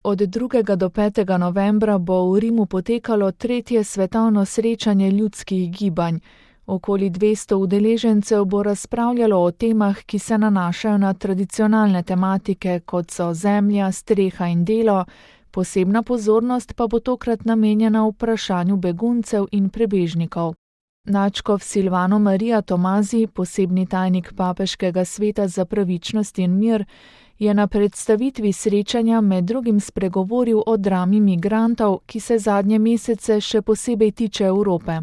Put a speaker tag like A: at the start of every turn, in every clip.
A: Od 2. do 5. novembra bo v Rimu potekalo 3. svetovno srečanje ljudskih gibanj. Okoli 200 udeležencev bo razpravljalo o temah, ki se nanašajo na tradicionalne tematike, kot so zemlja, streha in delo, posebna pozornost pa bo tokrat namenjena vprašanju beguncev in prebežnikov. Nadškof Silvano Maria Tomazi, posebni tajnik Papeškega sveta za pravičnost in mir, je na predstavitvi srečanja med drugim spregovoril o drami migrantov, ki se zadnje mesece še posebej tiče Evrope.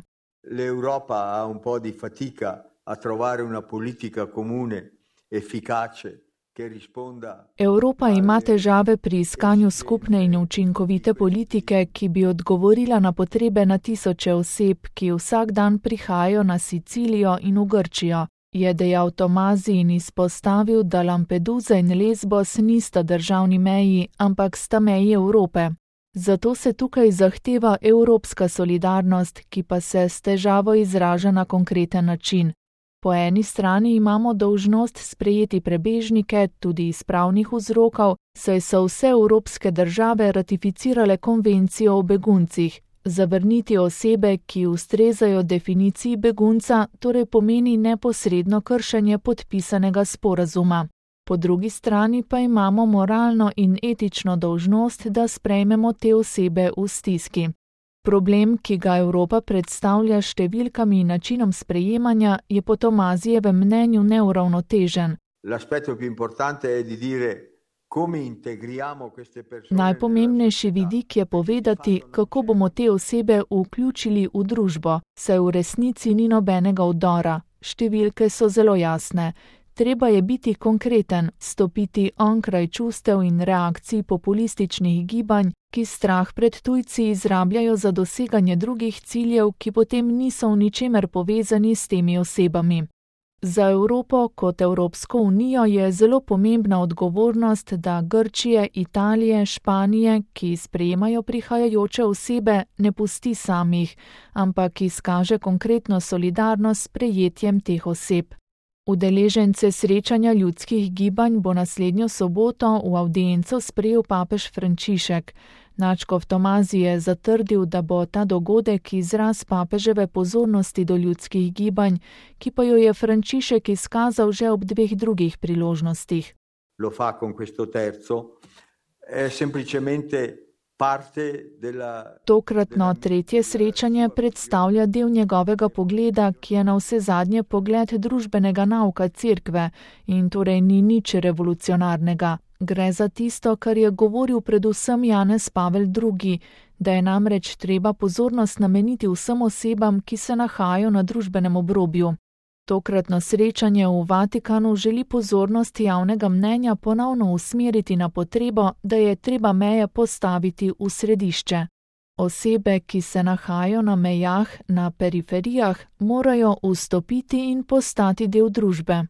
B: L'Europa ha un po' di fatica a trovare una politica comune, efficace, che risponda.
A: Evropa ima težave pri iskanju skupne in učinkovite politike, ki bi odgovorila na potrebe na tisoče oseb, ki vsak dan prihajajo na Sicilijo in v Grčijo, je dejal Tomazi in izpostavil, da Lampedusa in Lesbos nista državni meji, ampak sta meji Evrope. Zato se tukaj zahteva evropska solidarnost, ki pa se s težavo izraža na konkreten način. Po eni strani imamo dolžnost sprejeti prebežnike tudi iz pravnih vzrokov, saj so vse evropske države ratificirale konvencijo o beguncih. Zavrniti osebe, ki ustrezajo definiciji begunca, torej pomeni neposredno kršenje podpisanega sporazuma. Po drugi strani pa imamo moralno in etično dolžnost, da sprejmemo te osebe v stiski. Problem, ki ga Evropa predstavlja s številkami in načinom sprejemanja, je po Tomazijevem mnenju neuravnotežen. Najpomembnejši vidik je povedati, kako bomo te osebe vključili v družbo, saj v resnici ni nobenega vdora. Številke so zelo jasne. Treba je biti konkreten, stopiti onkraj čustev in reakcij populističnih gibanj, ki strah pred tujci izrabljajo za doseganje drugih ciljev, ki potem niso v ničemer povezani s temi osebami. Za Evropo kot Evropsko unijo je zelo pomembna odgovornost, da Grčije, Italije, Španije, ki sprejemajo prihajajoče osebe, ne pusti samih, ampak izkaže konkretno solidarnost s prejetjem teh oseb. Udeležence srečanja ljudskih gibanj bo naslednjo soboto v avdienco sprejel papež Frančišek. Nadškof Tomazi je zatrdil, da bo ta dogodek izraz papeževe pozornosti do ljudskih gibanj, ki pa jo je Frančišek izkazal že ob 2 drugih priložnostih.
B: Lo fa con questo terzo, è semplicemente parte della.
A: Tokratno 3. srečanje predstavlja del njegovega pogleda, ki je navsezadnje pogled družbenega nauka Cerkve in torej ni nič revolucionarnega. Gre za tisto, kar je govoril predvsem Janez Pavel II., da je namreč treba pozornost nameniti vsem osebam, ki se nahajajo na družbenem obrobju. Tokratno srečanje v Vatikanu želi pozornost javnega mnenja ponovno usmeriti na potrebo, da je treba meje postaviti v središče. Osebe, ki se nahajajo na mejah, na periferijah, morajo vstopiti in postati del družbe.